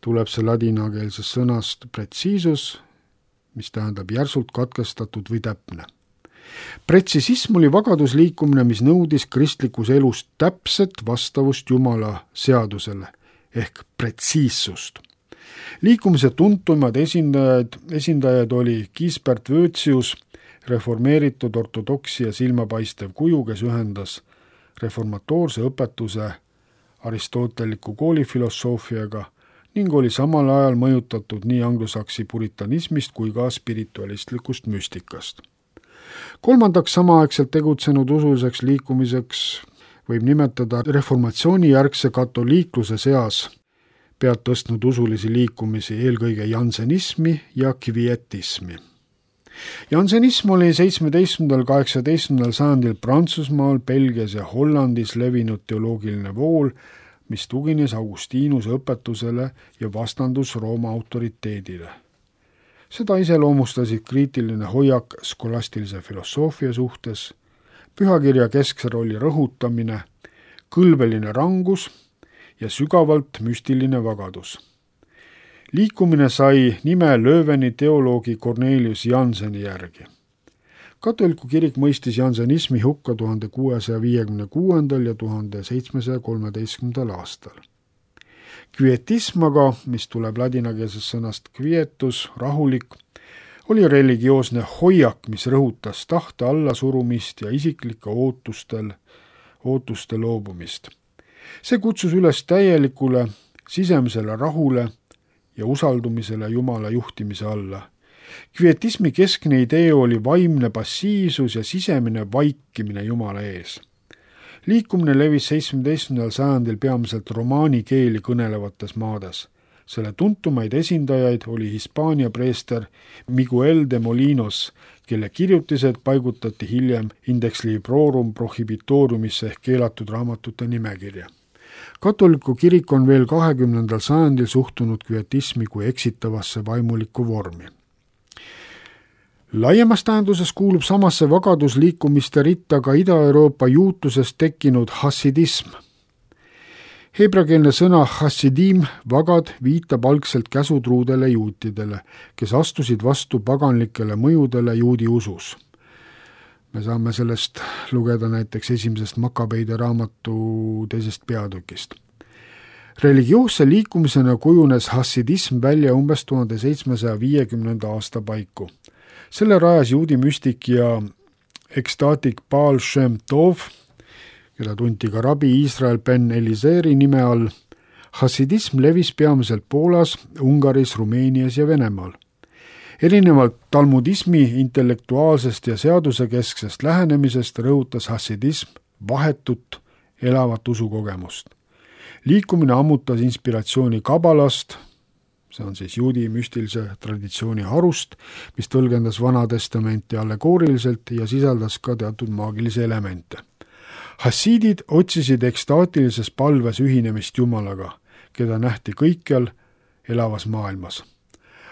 [SPEAKER 2] Tuleb see ladinakeelsest sõnast pretsiisus, mis tähendab järsult katkestatud või täpne. Pretsisism oli vagadusliikumine, mis nõudis kristlikus elus täpset vastavust Jumala seadusele ehk pretsiissust. Liikumise tuntumad esindajad, esindajad oli Gisbert Wötsius, reformeeritud ortodoksi ja silmapaistev kuju, kes ühendas reformatoorse õpetuse aristoteliku koolifilosoofiaga ning oli samal ajal mõjutatud nii anglosaksi puritanismist kui ka spiritualistlikust müstikast. Kolmandaks samaaegselt tegutsenud usuliseks liikumiseks võib nimetada reformatsiooni järgse katoliikluse seas pead tõstnud usulisi liikumisi, eelkõige jansenismi ja kvietismi. Jansenism oli seitsmeteistkümnendal kaheksateistkümnendal sajandil Prantsusmaal, Belgias ja Hollandis levinud teoloogiline vool, mis tugines Augustinuse õpetusele ja vastandus Rooma autoriteedile. Seda iseloomustasid kriitiline hoiak skolastilise filosoofia suhtes, pühakirja keskse rolli rõhutamine, kõlbeline rangus ja sügavalt müstiline vagadus. Liikumine sai nime Lööveni teoloogi Cornelius Janseni järgi. Katoliku kirik mõistis jansenismi hukka tuhande kuuesaja viiekümne kuuendal ja tuhande seitsmesaja kolmeteistkümnendal aastal. Kvietism aga, mis tuleb ladinakeelsest sõnast quietus, rahulik, oli religioosne hoiak, mis rõhutas tahte allasurumist ja isiklike ootustel, ootuste loobumist. See kutsus üles täielikule sisemisele rahule ja usaldumisele Jumala juhtimise alla. Kvietismi keskne idee oli vaimne passiivsus ja sisemine vaikimine Jumala ees. Liikumine levis seitsmeteistkümnendal sajandil peamiselt romaani keeli kõnelevates maades. Selle tuntumaid esindajaid oli Hispaania preester Miguel de Molinos, kelle kirjutised paigutati hiljem Index Librorum Prohibitoriumisse ehk keelatud raamatute nimekirja. Katoliku kirik on veel kahekümnendal sajandil suhtunud kvietismi kui eksitavasse vaimulikku vormi. Laiemas tähenduses kuulub samasse vagadusliikumiste ritta ka Ida-Euroopa juutusest tekkinud hassidism. Hebrakeelne sõna hassidim, vagad, viitab algselt käsutruudele juutidele, kes astusid vastu paganlikele mõjudele juudi usus. Me saame sellest lugeda näiteks esimesest Makabeide raamatu teisest peatükist. Religioosse liikumisena kujunes hassidism välja umbes tuhande seitsmesaja viiekümnenda aasta paiku. Selle rajas juudi müstik ja ekstaatik Baal Shem Tov, keda tunti ka rabi Iisrael Ben Elizeri nime all. Hassidism levis peamiselt Poolas, Ungaris, Rumeenias ja Venemaal. Erinevalt talmudismi intellektuaalsest ja seadusekesksest lähenemisest rõhutas hassidism vahetut, elavat usukogemust. Liikumine ammutas inspiratsiooni kabalast, see on siis juudi müstilise traditsiooni harust, mis tõlgendas Vana Testamenti allegooriliselt ja sisaldas ka teatud maagilisi elemente. Hassiidid otsisid ekstaatilises palves ühinemist Jumalaga, keda nähti kõikjal elavas maailmas.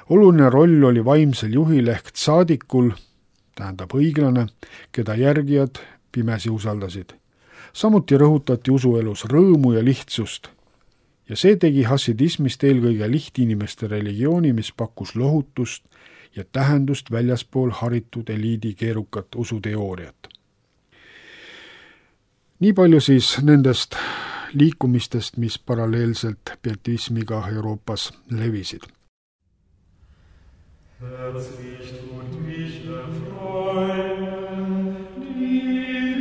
[SPEAKER 2] Oluline roll oli vaimsel juhil ehk tsaadikul, tähendab õiglane, keda järgijad pimesi usaldasid. Samuti rõhutati usuelus rõõmu ja lihtsust ja see tegi hassidismist eelkõige lihtinimeste religiooni, mis pakkus lohutust ja tähendust väljaspool haritud eliidi keerukat usuteooriat. Nii palju siis nendest liikumistest, mis paralleelselt pietismiga Euroopas levisid. Herzlich tut mich erfreuen, die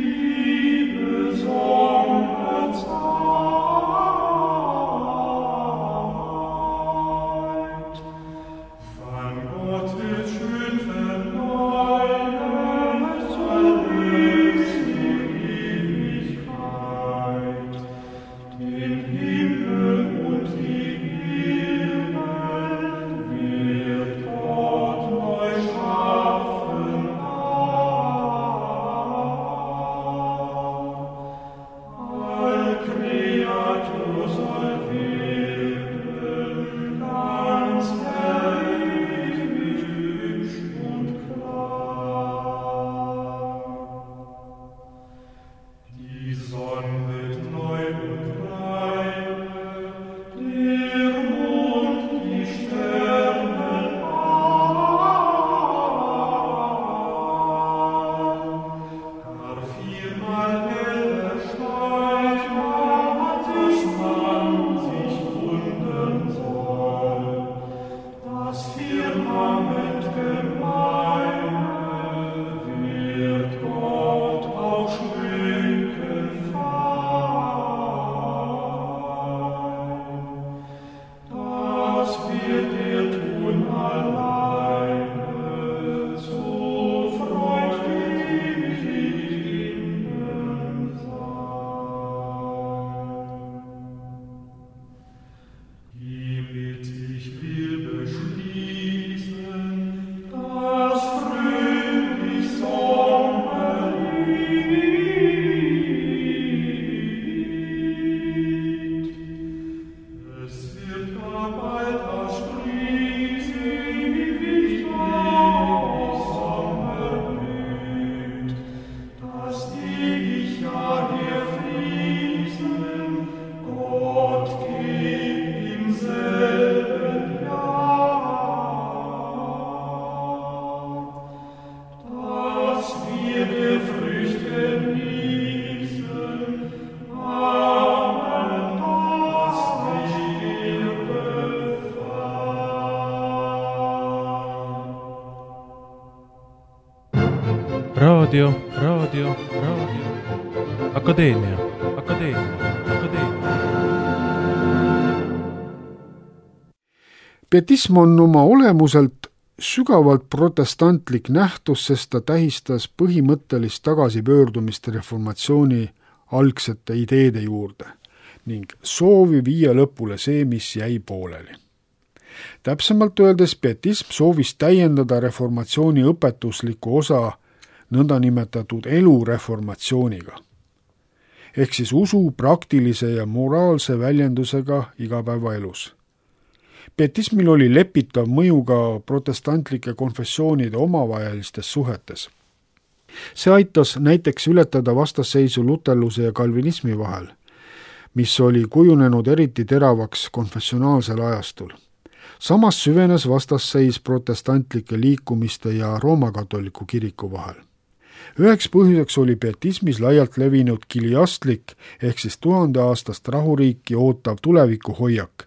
[SPEAKER 2] Liebe Sonne Zeit. Von Gottes schön verneuert, erlebst die Ewigkeit, den Himmel und die Erde wird Gott neu schaffen.
[SPEAKER 1] raadio, raadio, raadio, Akadeemia, Akadeemia, Akadeemia.
[SPEAKER 2] Pietism on oma olemuselt sügavalt protestantlik nähtus, sest ta tähistas põhimõttelist tagasipöördumist reformatsiooni algsete ideede juurde ning soovi viia lõpule see, mis jäi pooleli. Täpsemalt öeldes pietism soovis täiendada reformatsiooni õpetuslikku osa nõndanimetatud elureformatsiooniga, ehk siis usu praktilise ja moraalse väljendusega igapäevaelus. Pietismil oli lepitav mõju ka protestantlike konfessioonide omavahelistes suhetes. See aitas näiteks ületada vastasseisu luterluse ja kalvinismi vahel, mis oli kujunenud eriti teravaks konfessionaalsel ajastul. Samas süvenes vastasseis protestantlike liikumiste ja roomakatoliku kiriku vahel. Üheks põhjuseks oli pietismis laialt levinud kiliastlik ehk siis tuhandeaastast rahuriiki ootav tulevikuhoiak,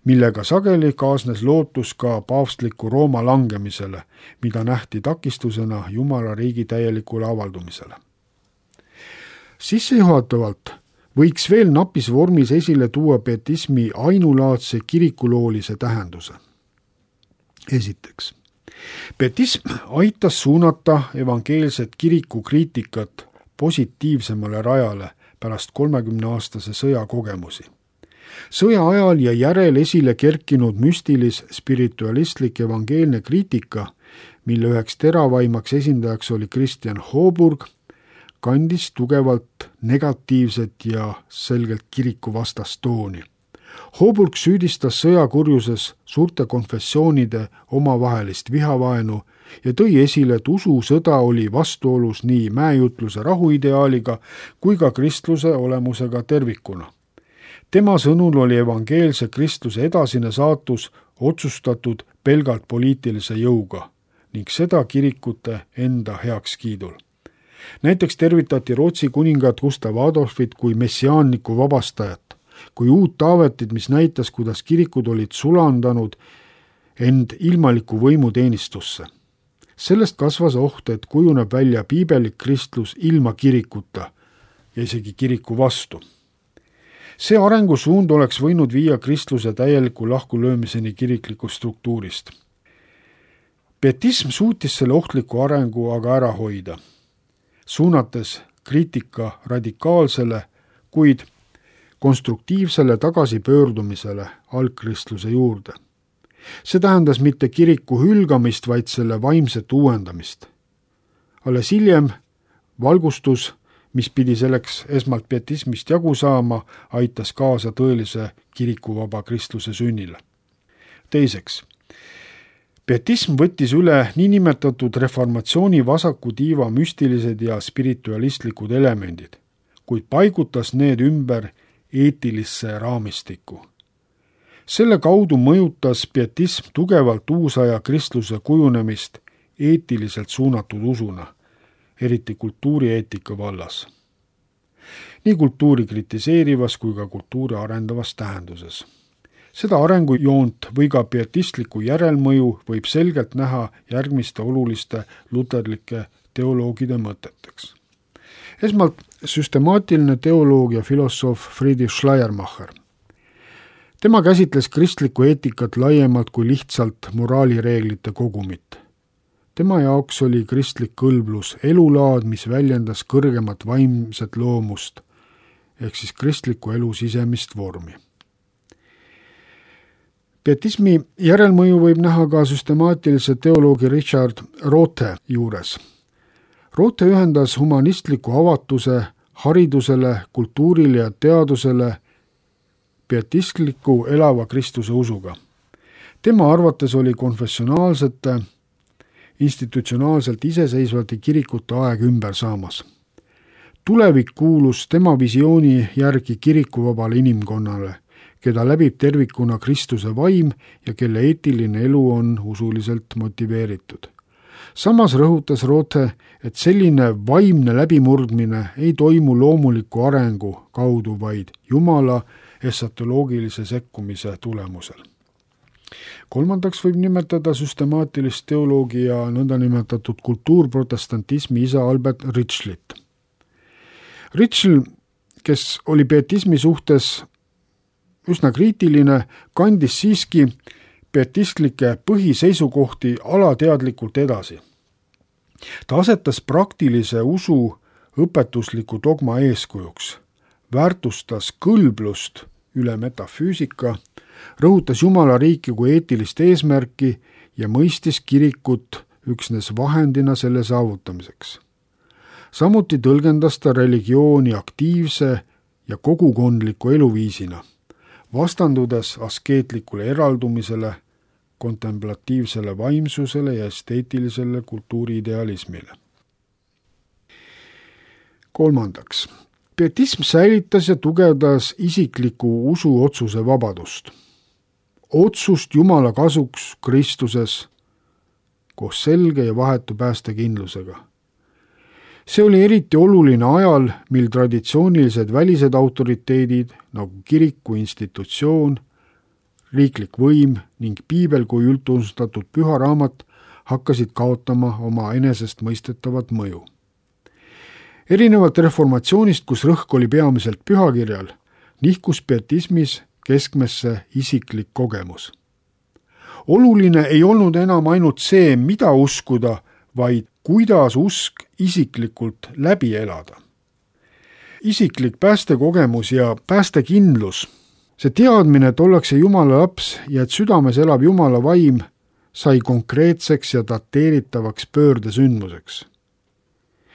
[SPEAKER 2] millega sageli kaasnes lootus ka paavstliku Rooma langemisele, mida nähti takistusena Jumala riigi täielikule avaldumisele. Sissejuhatavalt võiks veel napis vormis esile tuua pietismi ainulaadse kirikuloolise tähenduse. Esiteks, pietism aitas suunata evangeelset kirikukriitikat positiivsemale rajale pärast kolmekümneaastase sõja kogemusi. Sõja ajal ja järel esile kerkinud müstilis spiritualistlik evangeelne kriitika, mille üheks teravaimaks esindajaks oli Christian Hooburg, kandis tugevalt negatiivset ja selgelt kirikuvastast tooni. Hooburg süüdistas sõjakurjuses suurte konfessioonide omavahelist vihavaenu ja tõi esile, et ususõda oli vastuolus nii mäejutluse rahuideaaliga kui ka kristluse olemusega tervikuna. Tema sõnul oli evangeelse kristluse edasine saatus otsustatud pelgalt poliitilise jõuga ning seda kirikute enda heakskiidul. Näiteks tervitati Rootsi kuningat Gustav Adolfit kui messiaanniku vabastajat, kui uut Taavetit, mis näitas, kuidas kirikud olid sulandanud end ilmaliku võimu teenistusse. Sellest kasvas oht, et kujuneb välja piibelik kristlus ilma kirikuta ja isegi kiriku vastu. See arengusuund oleks võinud viia kristluse täieliku lahkulöömiseni kiriklikust struktuurist. Pietism suutis selle ohtliku arengu aga ära hoida, suunates kriitika radikaalsele, kuid konstruktiivsele tagasipöördumisele algkristluse juurde. See tähendas mitte kiriku hülgamist, vaid selle vaimset uuendamist. Alles hiljem valgustus, mis pidi selleks esmalt pietismist jagu saama, aitas kaasa tõelise kirikuvaba kristluse sünnile. Teiseks, pietism võttis üle niinimetatud reformatsiooni vasaku tiiva müstilised ja spiritualistlikud elemendid, kuid paigutas need ümber eetilisse raamistikku. Selle kaudu mõjutas pietism tugevalt uusaja kristluse kujunemist eetiliselt suunatud usuna, eriti kultuurieetika vallas. Nii kultuuri kritiseerivas kui ka kultuuri arendavas tähenduses. Seda arengujoont või ka pietistliku järelmõju võib selgelt näha järgmiste oluliste luterlike teoloogide mõteteks. Esmalt süstemaatiline teoloog ja filosoof Friedrich Schleiermacher. Tema käsitles kristlikku eetikat laiemalt kui lihtsalt moraalireeglite kogumit. Tema jaoks oli kristlik kõlblus elulaad, mis väljendas kõrgemat vaimset loomust, ehk siis kristliku elu sisemist vormi. Pietismi järelmõju võib näha ka süstemaatilise teoloogi Richard Rothe juures. Rothe ühendas humanistliku avatuse haridusele, kultuurile ja teadusele pietistliku elava Kristuse usuga. Tema arvates oli konfessionaalsete institutsionaalselt iseseisvate kirikute aeg ümber saamas. Tulevik kuulus tema visiooni järgi kirikuvabale inimkonnale, keda läbib tervikuna Kristuse vaim ja kelle eetiline elu on usuliselt motiveeritud. Samas rõhutas Rothe, et selline vaimne läbimurdmine ei toimu loomuliku arengu kaudu, vaid Jumala esatoloogilise sekkumise tulemusel. kolmandaks võib nimetada süstemaatilist teoloogi ja nõndanimetatud kultuurprotestantismi isa Albert Ritschlit. Ritschl, kes oli pietismi suhtes üsna kriitiline, kandis siiski pietistlikke põhiseisukohti alateadlikult edasi. Ta asetas praktilise usu õpetusliku dogma eeskujuks, väärtustas kõlblust üle metafüüsika, rõhutas Jumala riiki kui eetilist eesmärki ja mõistis kirikut üksnes vahendina selle saavutamiseks. Samuti tõlgendas ta religiooni aktiivse ja kogukondliku eluviisina, vastandudes askeetlikule eraldumisele, kontemplatiivsele vaimsusele ja esteetilisele kultuuriidealismile. Kolmandaks, pietism säilitas ja tugevdas isikliku usuotsuse vabadust. Otsust Jumala kasuks Kristuses koos selge ja vahetu päästekindlusega. See oli eriti oluline ajal, mil traditsioonilised välised autoriteedid nagu kiriku institutsioon, riiklik võim ning piibel kui üldtunnustatud püha raamat hakkasid kaotama oma enesest mõistetavat mõju. Erinevalt reformatsioonist, kus rõhk oli peamiselt pühakirjal, nihkus pietismis keskmesse isiklik kogemus. Oluline ei olnud enam ainult see, mida uskuda, vaid kuidas usk isiklikult läbi elada. Isiklik päästekogemus ja päästekindlus, see teadmine, et ollakse Jumala laps ja et südames elab Jumala vaim, sai konkreetseks ja dateeritavaks pöördesündmuseks.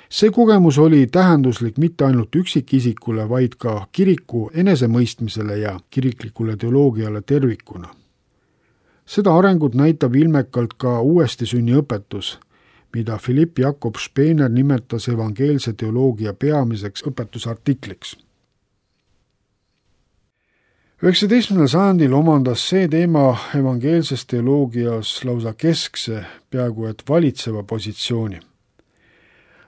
[SPEAKER 2] See kogemus oli tähenduslik mitte ainult üksikisikule, vaid ka kiriku enesemõistmisele ja kiriklikule teoloogiale tervikuna. Seda arengut näitab ilmekalt ka uuesti sünniõpetus, mida Philipp Jakob Spener nimetas evangeelse teoloogia peamiseks õpetusartikliks. üheksateistkümnendal sajandil omandas see teema evangeelses teoloogias lausa keskse, peaaegu et valitseva positsiooni.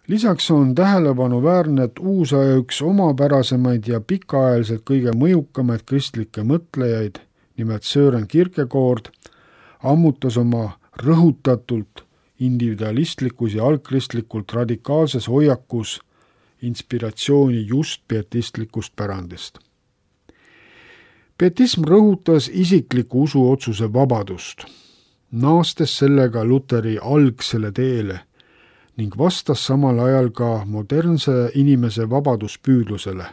[SPEAKER 2] Lisaks on tähelepanuväärne, et uusaja üks omapärasemaid ja pikaajaliselt kõige mõjukamaid kristlikke mõtlejaid, nimelt Søren Kierkegaard, ammutas oma rõhutatult individualistlikus ja algkristlikult radikaalses hoiakus inspiratsiooni just pietistlikust pärandist. Pietism rõhutas isikliku usuotsuse vabadust, naastes sellega Luteri algsele teele ning vastas samal ajal ka modernse inimese vabaduspüüdlusele,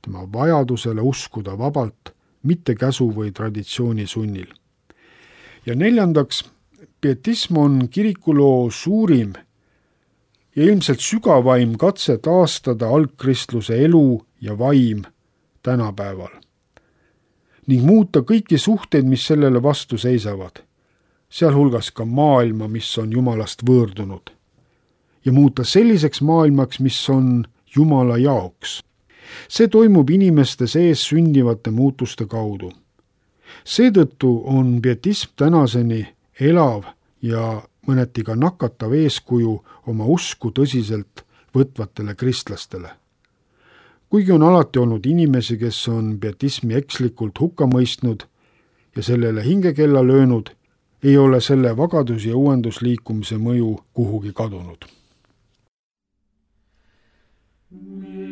[SPEAKER 2] tema vajadusele uskuda vabalt, mitte käsu või traditsiooni sunnil. Ja neljandaks, pietism on kirikuloo suurim ja ilmselt sügavaim katse taastada algkristluse elu ja vaim tänapäeval ning muuta kõiki suhteid, mis sellele vastu seisavad, sealhulgas ka maailma, mis on Jumalast võõrdunud, ja muuta selliseks maailmaks, mis on Jumala jaoks. See toimub inimeste sees sündivate muutuste kaudu. Seetõttu on pietism tänaseni elav ja mõneti ka nakatav eeskuju oma usku tõsiselt võtvatele kristlastele. Kuigi on alati olnud inimesi, kes on pietismi ekslikult hukka mõistnud ja sellele hingekella löönud, ei ole selle vagadus- ja uuendusliikumise mõju kuhugi kadunud.
[SPEAKER 3] Oh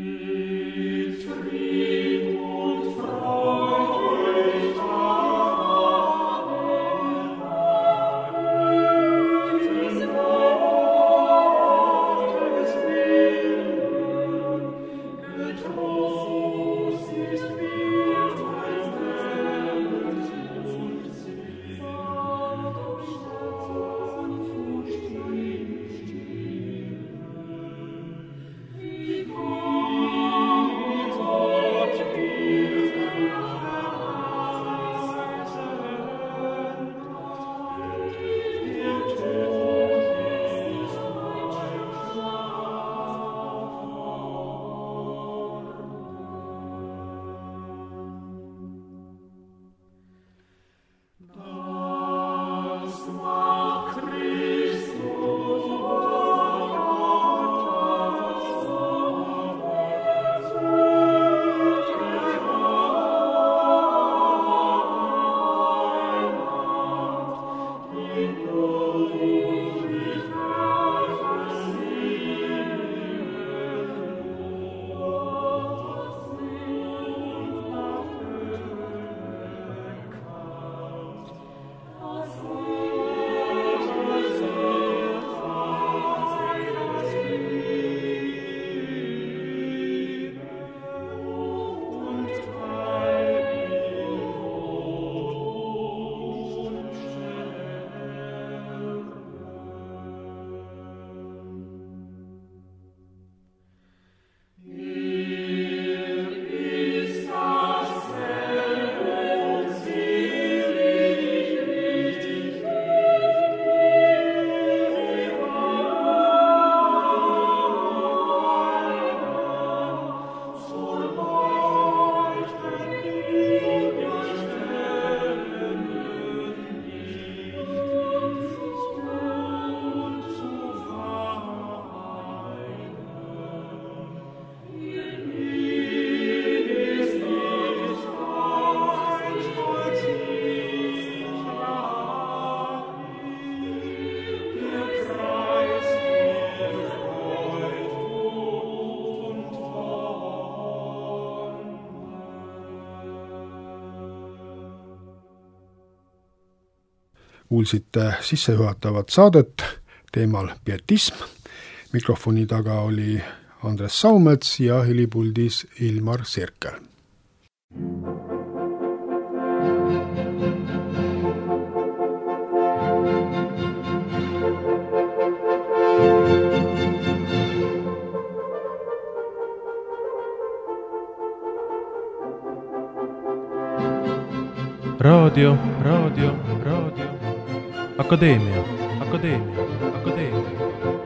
[SPEAKER 2] kuulsite sissejuhatavat saadet teemal pietism. Mikrofoni taga oli Andres Saumets ja helipuldis Ilmar Sirkel.
[SPEAKER 1] Raadio, raadio, raadio. Akadeemia, akadeemia, akadeemia.